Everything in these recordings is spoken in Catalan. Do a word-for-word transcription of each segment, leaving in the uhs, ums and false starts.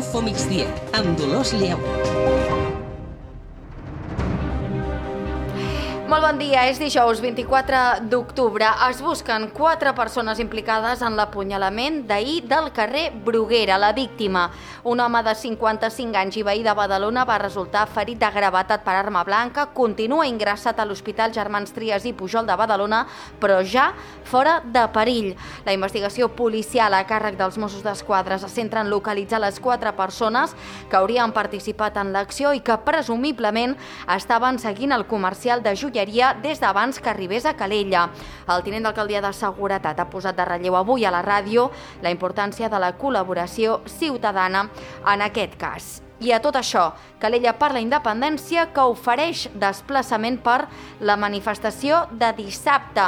Info Migdia, amb Dolors Lleu. Molt bon dia, és dijous vint-i-quatre d'octubre. Es busquen quatre persones implicades en l'apunyalament d'ahir del carrer Bruguera. La víctima, un home de cinquanta-cinc anys i veí de Badalona, va resultar ferit de gravetat per arma blanca, continua ingressat a l'Hospital Germans Trias i Pujol de Badalona, però ja fora de perill. La investigació policial a càrrec dels Mossos d'Esquadra se centra en localitzar les quatre persones que haurien participat en l'acció i que presumiblement estaven seguint el comercial de joieria des d'abans que arribés a Calella. El tinent d'alcaldia de Seguretat ha posat de relleu avui a la ràdio la importància de la col·laboració ciutadana en aquest cas. I a tot això, Calella per la Independència, que ofereix desplaçament per la manifestació de dissabte,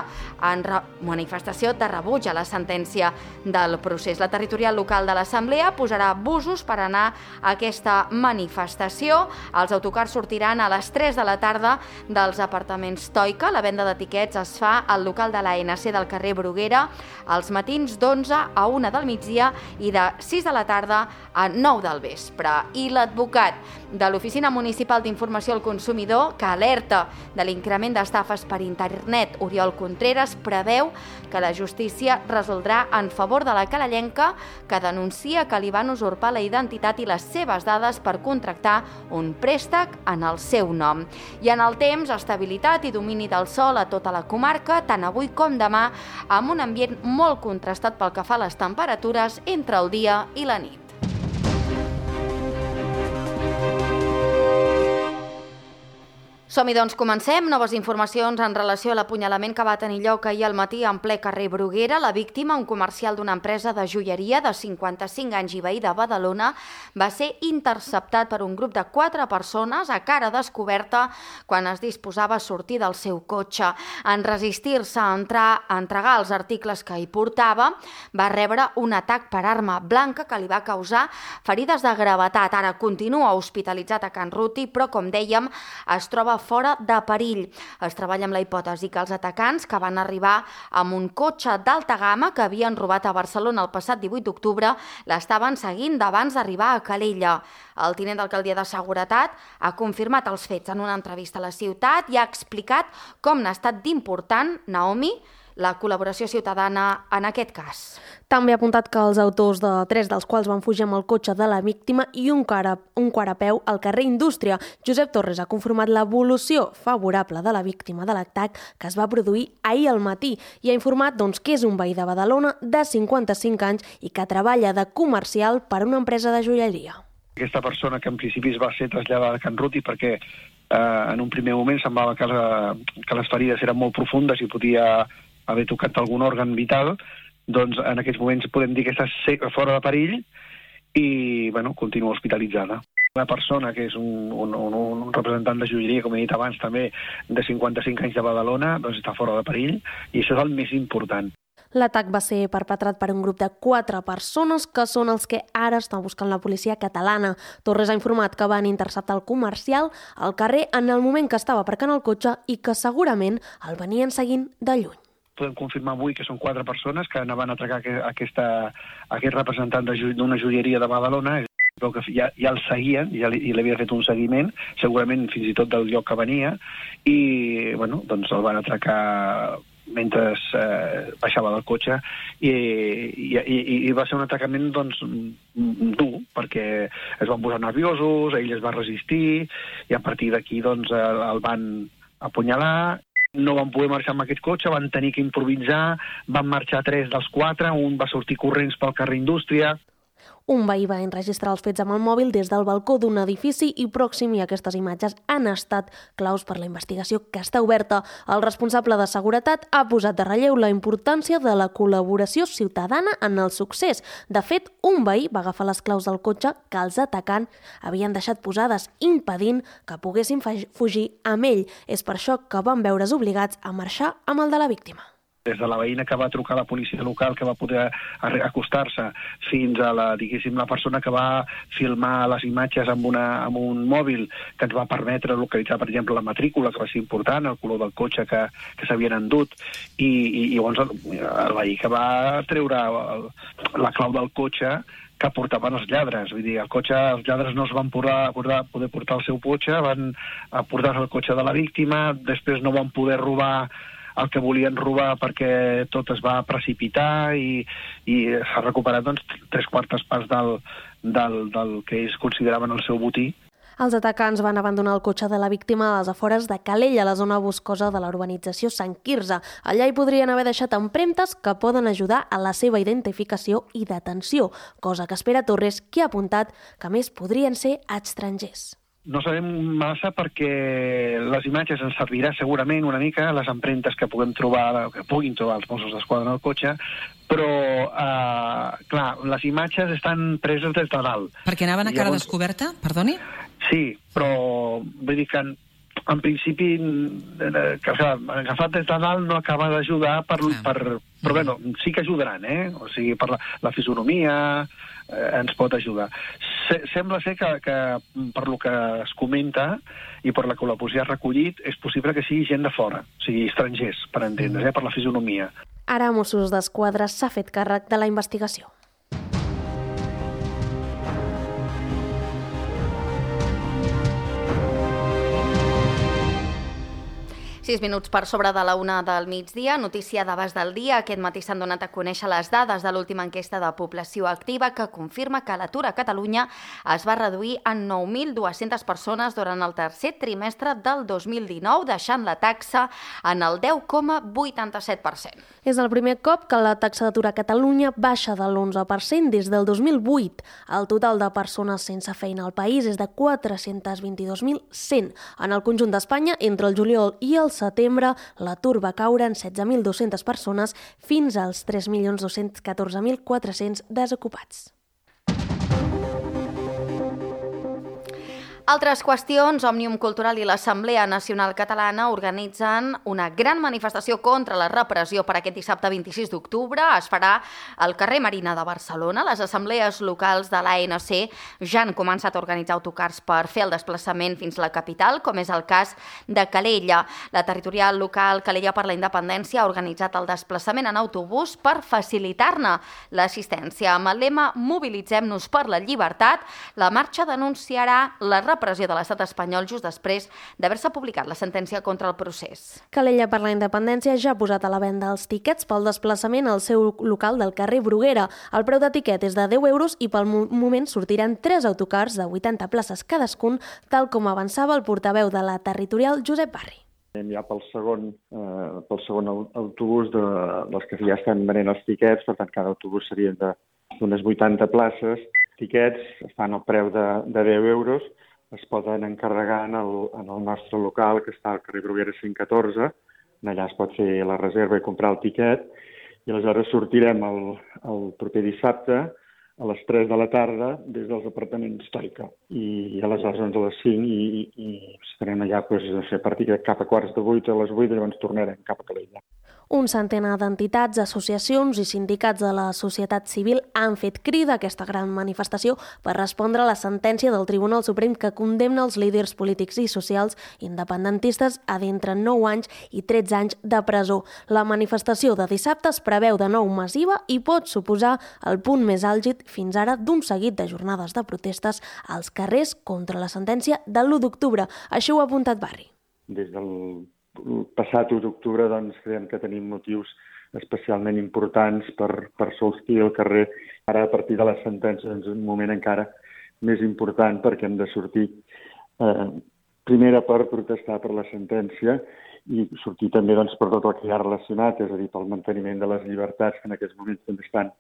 en re... manifestació de rebuig a la sentència del procés. La territorial local de l'Assemblea posarà busos per anar a aquesta manifestació. Els autocars sortiran a les tres de la tarda dels apartaments Toica. La venda d'etiquets es fa al local de l'A N C del carrer Bruguera als matins d'onze a una del migdia i de sis de la tarda a nou del vespre. I l'advocat de l'Oficina Municipal d'Informació al Consumidor, que alerta de l'increment d'estafes per internet, Oriol Contreras, preveu que la justícia resoldrà en favor de la calellenca que denuncia que li van usurpar la identitat i les seves dades per contractar un préstec en el seu nom. I en el temps, estabilitat i domini del sol a tota la comarca, tant avui com demà, amb un ambient molt contrastat pel que fa a les temperatures entre el dia i la nit. Som-hi, doncs, comencem. Noves informacions en relació a l'apunyalament que va tenir lloc ahir al matí en ple carrer Bruguera. La víctima, un comercial d'una empresa de joieria de cinquanta-cinc anys i veí de Badalona, va ser interceptat per un grup de quatre persones a cara descoberta quan es disposava a sortir del seu cotxe. En resistir-se a entrar a entregar els articles que hi portava, va rebre un atac per arma blanca que li va causar ferides de gravetat. Ara continua hospitalitzat a Can Ruti, però, com dèiem, es troba fora de perill. Es treballa amb la hipòtesi que els atacants, que van arribar amb un cotxe d'alta gamma que havien robat a Barcelona el passat divuit d'octubre, l'estaven seguint d'abans d'arribar a Calella. El tinent d'alcaldia de Seguretat ha confirmat els fets en una entrevista a la ciutat i ha explicat com n'ha estat d'important, Naomi, la col·laboració ciutadana en aquest cas. També ha apuntat que els autors de tres dels quals van fugir amb el cotxe de la víctima i un, cara, un quart a peu al carrer Indústria. Josep Torres ha confirmat l'evolució favorable de la víctima de l'atac que es va produir ahir al matí i ha informat doncs, que és un veí de Badalona de cinquanta-cinc anys i que treballa de comercial per una empresa de joieria. Aquesta persona que en principi va ser traslladada a Can Ruti perquè eh, en un primer moment semblava que, la, que les ferides eren molt profundes i podia haver tocat algun òrgan vital, doncs en aquests moments podem dir que està fora de perill i bueno, continua hospitalitzada. Una persona que és un, un, un, un representant de joieria, com he dit abans, també de cinquanta-cinc anys de Badalona, doncs està fora de perill i això és el més important. L'atac va ser perpetrat per un grup de quatre persones que són els que ara està buscant la policia catalana. Torres ha informat que van interceptar el comercial al carrer en el moment que estava aparcant el cotxe i que segurament el venien seguint de lluny. Podem confirmar avui que són quatre persones que anaven a atracar aquesta, aquest representant d'una joieria de Badalona. Veu que ja, ja el seguien, ja li, li havia fet un seguiment, segurament fins i tot del lloc que venia, i bueno, doncs el van atracar mentre eh, baixava del cotxe i, i, i, i va ser un atracament doncs, dur, perquè es van posar nerviosos, ell es va resistir i a partir d'aquí doncs, el, el van apunyalar. No van poder marxar amb aquest cotxe, van tenir que improvisar, van marxar tres dels quatre, un va sortir corrents pel carrer Indústria. Un veí va enregistrar els fets amb el mòbil des del balcó d'un edifici i pròxim i aquestes imatges han estat claus per la investigació que està oberta. El responsable de seguretat ha posat de relleu la importància de la col·laboració ciutadana en el succés. De fet, un veí va agafar les claus del cotxe que els atacants havien deixat posades, impedint que poguessin fugir amb ell. És per això que van veure's obligats a marxar amb el de la víctima. Des de la veïna que va trucar a la policia local, que va poder acostar-se, fins a la, diguéssim, la persona que va filmar les imatges amb, una, amb un mòbil que ens va permetre localitzar, per exemple, la matrícula, que va ser important, el color del cotxe que, que s'havien endut, i, i, i llavors el, el veí que va treure el, la clau del cotxe que portaven els lladres. Vull dir, el cotxe, els lladres no es van poder, poder portar el seu cotxe, van portar el cotxe de la víctima, després no van poder robar el que volien robar perquè tot es va precipitar i, i s'ha recuperat doncs, tres quartes parts del, del, del que ells consideraven el seu botí. Els atacants van abandonar el cotxe de la víctima a les afores de Calella, a la zona boscosa de la urbanització Sant Quirze. Allà hi podrien haver deixat empremtes que poden ajudar a la seva identificació i detenció, cosa que espera Torres, que ha apuntat que més podrien ser estrangers. No sabem massa perquè les imatges ens servirà segurament una mica, les empremtes que puguem trobar, que puguin trobar els Mossos d'Esquadra en el cotxe, però, eh, clar, les imatges estan preses des de dalt. Perquè anaven a cara descoberta, perdoni? Sí, però vull dir que en, en principi que, o sigui, agafat des de dalt no acaba d'ajudar per, ah. per, però bueno, sí que ajudaran, eh? O sigui, per la, la fisonomia eh, ens pot ajudar. Se, sembla ser que, que per lo que es comenta i per la que la policia ha recollit és possible que sigui gent de fora, o sigui, estrangers, per entendre's, eh? Per la fisonomia. Ara Mossos d'Esquadra s'ha fet càrrec de la investigació. Sis minuts per sobre de la una del migdia, notícia d'abast del dia. Aquest matí s'han donat a conèixer les dades de l'última enquesta de població activa que confirma que l'atur a Catalunya es va reduir en nou mil dues-centes persones durant el tercer trimestre del dos mil dinou, deixant la taxa en el deu coma vuitanta-set per cent. És el primer cop que la taxa d'atur a Catalunya baixa de l'onze per cent des del dos mil vuit. El total de persones sense feina al país és de quatre-cents vint-i-dos mil cent. En el conjunt d'Espanya, entre el juliol i el setembre, l'atur va caure en setze mil dues-centes persones fins als tres milions dos-cents catorze mil quatre-cents desocupats. Altres qüestions, Òmnium Cultural i l'Assemblea Nacional Catalana organitzen una gran manifestació contra la repressió per aquest dissabte vint-i-sis d'octubre. Es farà al carrer Marina de Barcelona. Les assemblees locals de l'A N C ja han començat a organitzar autocars per fer el desplaçament fins a la capital, com és el cas de Calella. La territorial local Calella per la Independència ha organitzat el desplaçament en autobús per facilitar-ne l'assistència. Amb el lema Mobilitzem-nos per la llibertat, la marxa denunciarà la repressió repressió de l'estat espanyol just després d'haver-se publicat la sentència contra el procés. Calella per la Independència ja ha posat a la venda els tiquets pel desplaçament al seu local del carrer Bruguera. El preu de tiquet és de deu euros i pel moment sortiran tres autocars de vuitanta places cadascun, tal com avançava el portaveu de la territorial Josep Barri. Ja pel segon, eh, pel segon autobús de, dels que ja estan venent els tiquets, per tant cada autobús serien d'unes vuitanta places. Tiquets estan al preu de, de deu euros, es poden encarregar en el, en el nostre local, que està al carrer Bruguera cinc catorze. Allà es pot fer la reserva i comprar el tiquet. I aleshores sortirem el, el proper dissabte a les tres de la tarda des dels apartaments Stoica. I, i aleshores doncs, a les cinc i, i estarem allà doncs, no sé, a partir de cap a quarts de vuit a les vuit i llavors tornarem cap a Calella. Un centenar d'entitats, associacions i sindicats de la societat civil han fet crida a aquesta gran manifestació per respondre a la sentència del Tribunal Suprem que condemna els líders polítics i socials independentistes a d'entre nou anys i tretze anys de presó. La manifestació de dissabte es preveu de nou massiva i pot suposar el punt més àlgid fins ara d'un seguit de jornades de protestes als carrers contra la sentència de l'u d'octubre. Això ho ha apuntat Barri. Des del El passat u d'octubre doncs, creiem que tenim motius especialment importants per, per sortir al carrer. Ara, a partir de la sentència, és un moment encara més important perquè hem de sortir eh, primera per protestar per la sentència i sortir també doncs, per tot el que hi ha relacionat, és a dir, pel manteniment de les llibertats que en aquests moments també estan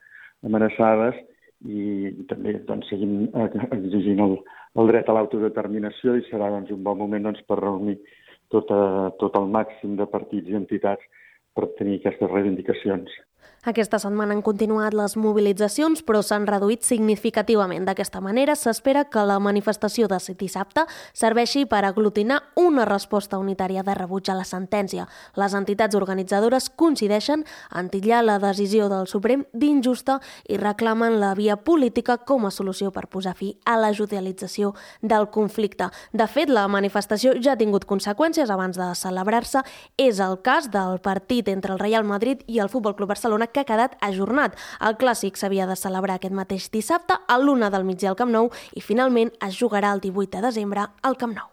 amenaçades i també doncs, seguim exigint el, el dret a l'autodeterminació i serà doncs, un bon moment doncs, per reunir Tot, a, tot el màxim de partits i entitats per tenir aquestes reivindicacions. Aquesta setmana han continuat les mobilitzacions, però s'han reduït significativament. D'aquesta manera, s'espera que la manifestació de dissabte serveixi per aglutinar una resposta unitària de rebuig a la sentència. Les entitats organitzadores coincideixen en titllar la decisió del Suprem d'injusta i reclamen la via política com a solució per posar fi a la judicialització del conflicte. De fet, la manifestació ja ha tingut conseqüències abans de celebrar-se. És el cas del partit entre el Real Madrid i el Futbol Club Barcelona, que ha quedat ajornat. El clàssic s'havia de celebrar aquest mateix dissabte a l'una del migdia al Camp Nou i finalment es jugarà el divuit de desembre al Camp Nou.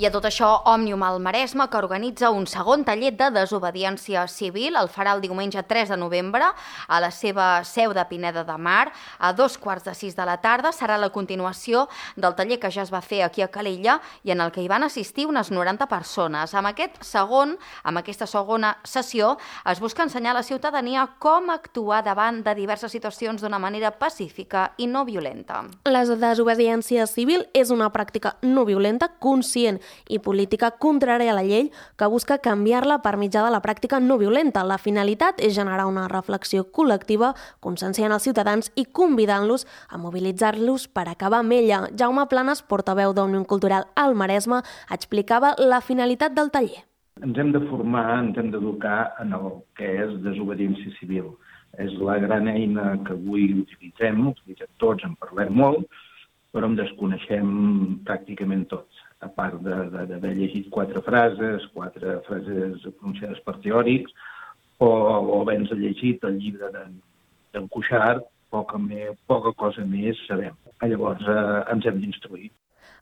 I a tot això, Òmnium al Maresme, que organitza un segon taller de desobediència civil, el farà el diumenge tres de novembre a la seva seu de Pineda de Mar, a dos quarts de sis de la tarda. Serà la continuació del taller que ja es va fer aquí a Calella i en el que hi van assistir unes noranta persones. Amb aquest segon, amb aquesta segona sessió, es busca ensenyar a la ciutadania com actuar davant de diverses situacions d'una manera pacífica i no violenta. La desobediència civil és una pràctica no violenta, conscient i política contrària a la llei que busca canviar-la per mitjà de la pràctica no violenta. La finalitat és generar una reflexió col·lectiva, conscienciant els ciutadans i convidant-los a mobilitzar-los per acabar amb ella. Jaume Planes, portaveu d'Òmnium Cultural al Maresme, explicava la finalitat del taller. Ens hem de formar, ens hem d'educar en el que és desobediència civil. És la gran eina que avui utilitzem, utilitzem tots, en parlem molt, però en desconeixem pràcticament tots. A part d'haver llegit quatre frases, quatre frases pronunciades per teòrics, o, o haver-nos llegit el llibre d'en Cuixart, poca, me, poca cosa més sabem. Llavors eh, ens hem d'instruir.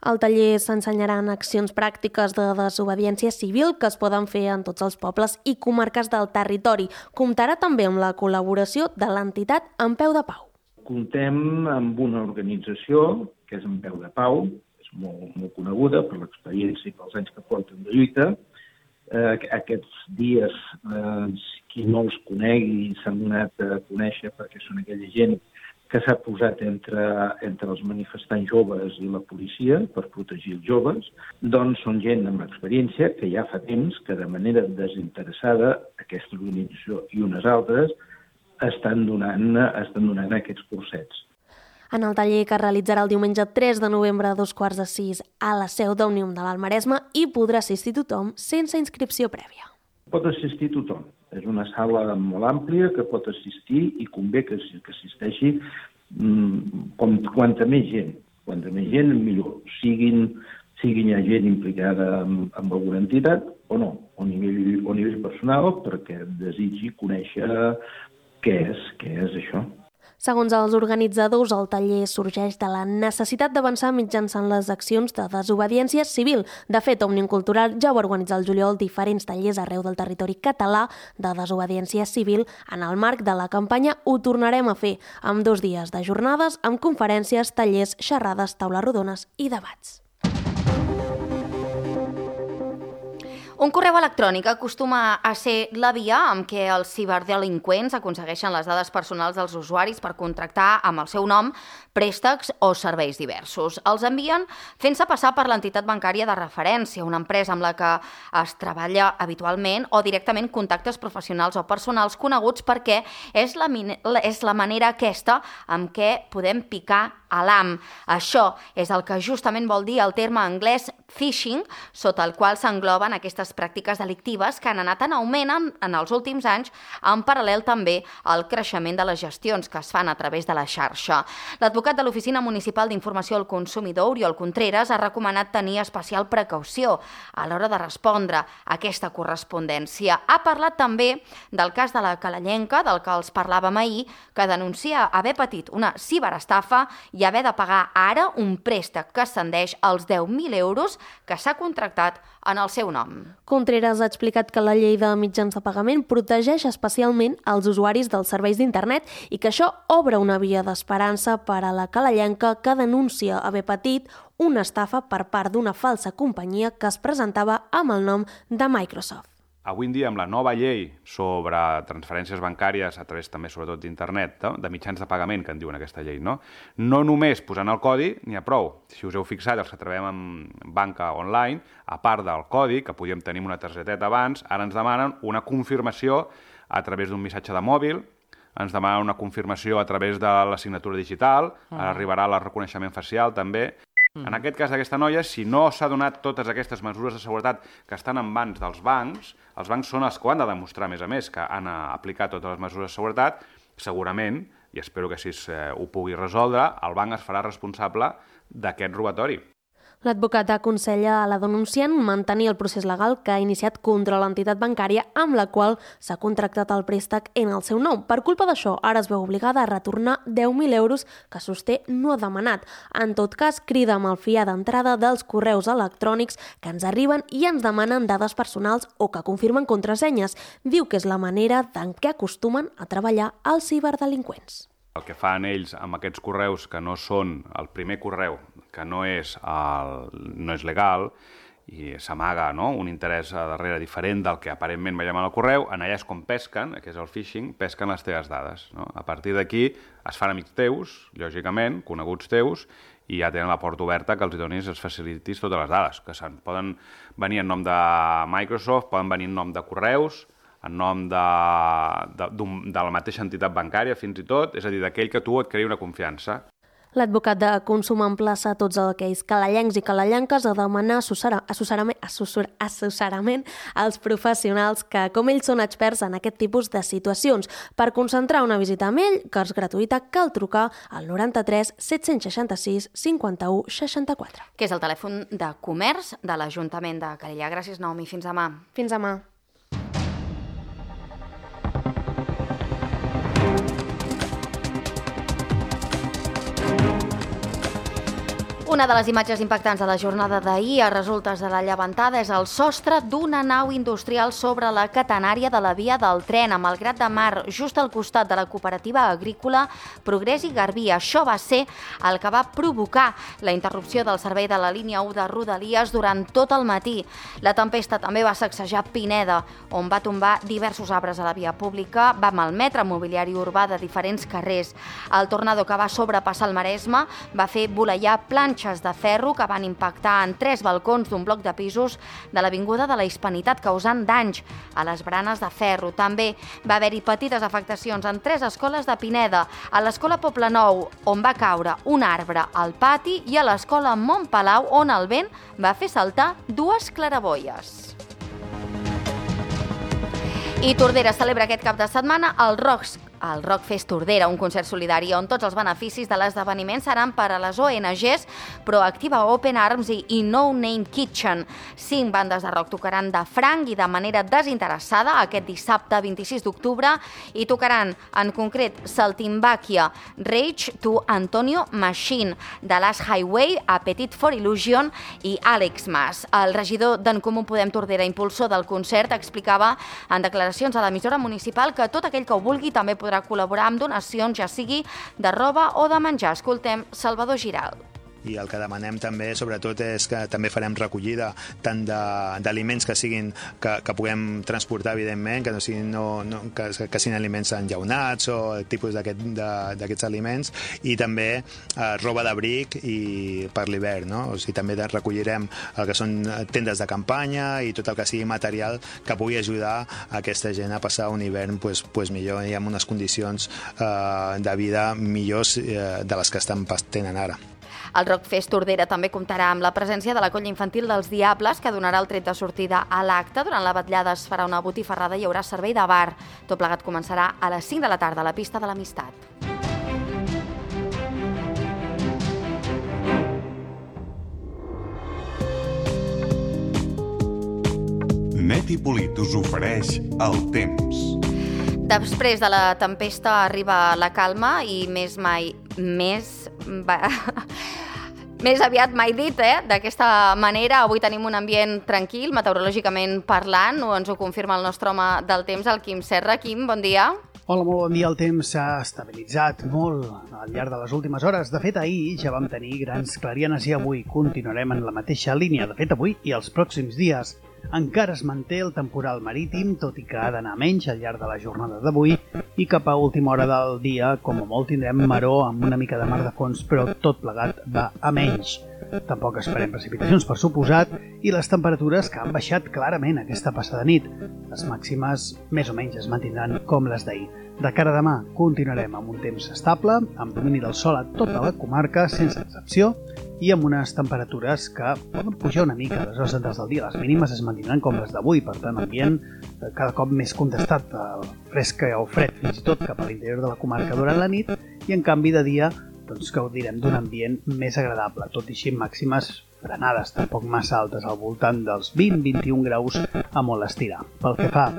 Al taller s'ensenyaran accions pràctiques de desobediència civil que es poden fer en tots els pobles i comarques del territori. Comptarà també amb la col·laboració de l'entitat En Peu de Pau. Contem amb una organització, que és En Peu de Pau, Molt, molt coneguda per l'experiència i pels anys que porten de lluita. Eh, aquests dies, eh, qui no els conegui, s'han donat a conèixer perquè són aquella gent que s'ha posat entre, entre els manifestants joves i la policia per protegir els joves, doncs són gent amb experiència que ja fa temps que de manera desinteressada aquesta organització i unes altres estan donant, estan donant aquests cursets. En el taller que es realitzarà el diumenge tres de novembre a dos quarts de sis a la seu d'Òmnium de l'Alt Maresme hi podrà assistir tothom sense inscripció prèvia. Pot assistir tothom. És una sala molt àmplia que pot assistir i convé que, que assisteixi mmm, com, quanta més gent. Quanta més gent, millor. Siguin, siguin ja gent implicada amb, amb alguna entitat o no, o a nivell, o a nivell personal, perquè desitgi conèixer què és, què és això. Segons els organitzadors, el taller sorgeix de la necessitat d'avançar mitjançant les accions de desobediència civil. De fet, Òmnium Cultural ja va organitzar el juliol diferents tallers arreu del territori català de desobediència civil. En el marc de la campanya ho tornarem a fer, amb dos dies de jornades, amb conferències, tallers, xerrades, taules rodones i debats. Un correu electrònic acostuma a ser la via amb què els ciberdelinqüents aconsegueixen les dades personals dels usuaris per contractar amb el seu nom préstecs o serveis diversos. Els envien fent-se passar per l'entitat bancària de referència, una empresa amb la que es treballa habitualment, o directament contactes professionals o personals coneguts, perquè és la, és la manera aquesta amb què podem picar a l'ham. Això és el que justament vol dir el terme anglès phishing, sota el qual s'engloben aquestes pràctiques delictives que han anat en augment en, en els últims anys, en paral·lel també al creixement de les gestions que es fan a través de la xarxa. L'advocat de l'Oficina Municipal d'Informació al Consumidor, Oriol Contreras, ha recomanat tenir especial precaució a l'hora de respondre a aquesta correspondència. Ha parlat també del cas de la calellenca, del que els parlàvem ahir, que denuncia haver patit una ciberestafa i haver de pagar ara un préstec que ascendeix als deu mil euros que s'ha contractat en el seu nom. Contreras ha explicat que la llei de mitjans de pagament protegeix especialment els usuaris dels serveis d'internet i que això obre una via d'esperança per a la calellenca que denuncia haver patit una estafa per part d'una falsa companyia que es presentava amb el nom de Microsoft. Avui en dia, amb la nova llei sobre transferències bancàries a través també, sobretot, d'internet, no? de mitjans de pagament, que en diuen aquesta llei, no? No només posant el codi n'hi ha prou. Si us heu fixat, els que treballem en banca online, a part del codi, que podíem tenir una targeteta abans, ara ens demanen una confirmació a través d'un missatge de mòbil, ens demanen una confirmació a través de la signatura digital, ara arribarà el reconeixement facial també. En aquest cas d'aquesta noia, si no s'ha donat totes aquestes mesures de seguretat que estan en mans dels bancs, els bancs són els que ho han de demostrar, a més a més, que han aplicat totes les mesures de seguretat, segurament, i espero que així ho pugui resoldre, el banc es farà responsable d'aquest robatori. L'advocat aconsella a la denunciant mantenir el procés legal que ha iniciat contra l'entitat bancària amb la qual s'ha contractat el préstec en el seu nom. Per culpa d'això, ara es veu obligada a retornar deu mil euros que sosté no ha demanat. En tot cas, crida a malfiar d'entrada dels correus electrònics que ens arriben i ens demanen dades personals o que confirmen contrasenyes. Diu que és la manera en què acostumen a treballar els ciberdelinqüents. El que fan ells amb aquests correus que no són el primer correu, que no és, el, no és legal i s'amaga, no?, un interès a darrere diferent del que aparentment veiem en el correu, en allà és com pesquen, que és el phishing, pesquen les teves dades. No? A partir d'aquí es fan amics teus, lògicament, coneguts teus, i ja tenen la porta oberta que els donis, els facilitis totes les dades, que poden venir en nom de Microsoft, poden venir en nom de correus, en nom de, de, de la mateixa entitat bancària, fins i tot, és a dir, d'aquell que tu et creï una confiança. L'advocat de consum emplaça a tots aquells calallencs i calallenques a demanar assessorament, assessorament als professionals que, com ells, són experts en aquest tipus de situacions. Per concentrar una visita amb ell, que és gratuïta, cal trucar al noranta-tres set-cents seixanta-sis cinquanta-u seixanta-quatre. Que és el telèfon de comerç de l'Ajuntament de Calella. Gràcies, Naomi. Fins demà. Fins demà. Una de les imatges impactants de la jornada d'ahir a resultes de la llevantada és el sostre d'una nau industrial sobre la catenària de la via del tren a Malgrat de Mar, just al costat de la cooperativa agrícola Progrés i Garbí. Això va ser el que va provocar la interrupció del servei de la línia u de Rodalies durant tot el matí. La tempesta també va sacsejar Pineda, on va tombar diversos arbres a la via pública, va malmetre mobiliari urbà de diferents carrers. El tornado que va sobrepassar el Maresme va fer voleiar planxes de ferro que van impactar en tres balcons d'un bloc de pisos de l'Avinguda de la Hispanitat, causant danys a les branes de ferro. També va haver-hi petites afectacions en tres escoles de Pineda, a l'escola Poblenou, on va caure un arbre al pati, i a l'escola Montpalau, on el vent va fer saltar dues claraboies. I Tordera celebra aquest cap de setmana el Rock el Rockfest Tordera, un concert solidari on tots els beneficis de l'esdeveniment seran per a les O N Ges Proactiva Open Arms i No Name Kitchen. Cinc bandes de rock tocaran de franc i de manera desinteressada aquest dissabte vint-i-sis d'octubre i tocaran en concret Saltimbaquia, Rage to Antonio Machine, The Last Highway, Appetite for Illusion i Àlex Mas. El regidor d'En Comú Podem Tordera, impulsor del concert, explicava en declaracions a l'emissora municipal que tot aquell que ho vulgui també podrà col·laborar amb donacions, ja sigui de roba o de menjar. Escoltem Salvador Giral. I el que demanem també, sobretot, és que també farem recollida tant d'aliments que siguin que, que puguem transportar, evidentment, que no siguin, no, no, que, que siguin aliments enllaunats o tipus d'aquests aquest, aliments, i també eh, roba d'abric i per l'hivern, no? O sigui, també recollirem el que són tendes de campanya i tot el que sigui material que pugui ajudar a aquesta gent a passar un hivern pues, pues millor i amb unes condicions eh, de vida millors eh, de les que estan tenen ara. El Rockfest Tordera també comptarà amb la presència de la colla infantil dels Diables, que donarà el tret de sortida a l'acte. Durant la vetllada es farà una botifarrada i hi haurà servei de bar. Tot plegat començarà a les cinc de la tarda a la pista de l'Amistat. Net i Polit us ofereix el temps. Després de la tempesta arriba la calma i més mai... més... Més aviat mai dit, eh? D'aquesta manera, avui tenim un ambient tranquil, meteorològicament parlant, o ens ho confirma el nostre home del temps, el Quim Serra. Quim, bon dia. Hola, molt bon dia. El temps s'ha estabilitzat molt al llarg de les últimes hores. De fet, ahir ja vam tenir grans clarianes i avui continuarem en la mateixa línia. De fet, avui i els pròxims dies encara es manté el temporal marítim, tot i que ha d'anar menys al llarg de la jornada d'avui, i cap a última hora del dia, com a molt, tindrem maró amb una mica de mar de fons, però tot plegat va a menys. Tampoc esperem precipitacions, per suposat, i les temperatures que han baixat clarament aquesta passada nit. Les màximes més o menys es mantindran com les d'ahir. De cara a demà continuarem amb un temps estable, amb domini del sol a tota la comarca, sense excepció, i amb unes temperatures que poden pujar una mica a les hores centrals del dia. Les mínimes es mantindran com les d'avui, per tant, ambient cada cop més contestat, fresc o fred, fins i tot cap a l'interior de la comarca durant la nit, i en canvi de dia doncs, gaudirem d'un ambient més agradable, tot i així màximes frenades, tampoc massa altes, al voltant dels vint a vint-i-un graus a molt estirar. Pel que fa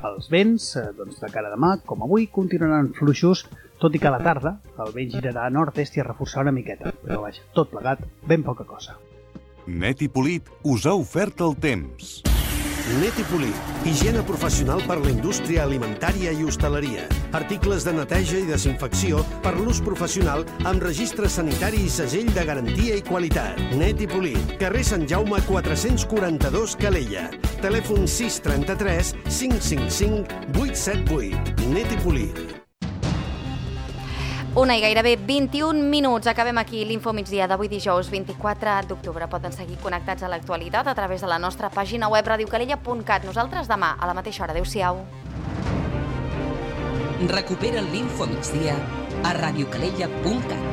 als vents, doncs, de cara a demà, com avui, continuaran fluixos, tot i que a la tarda el vent girarà a nord-est i a reforçar una miqueta, però vaja, tot plegat, ben poca cosa. Net i Polit us ha ofert el temps. Net i Polit, higiene professional per la indústria alimentària i hostaleria. Articles de neteja i desinfecció per l'ús professional amb registre sanitari i segell de garantia i qualitat. Net i Polit, carrer Sant Jaume quatre-cents quaranta-dos, Calella. Telèfon sis trenta-tres cinc cinc cinc vuit set vuit. Net i Polit. Una i gairebé vint-i-un minuts. Acabem aquí l'Info Migdia d'avui dijous vint-i-quatre d'octubre. Poden seguir connectats a l'actualitat a través de la nostra pàgina web radiocalella punt cat. Nosaltres demà a la mateixa hora. Adéu-siau. Recupera l'Info Migdia a radiocalella punt cat.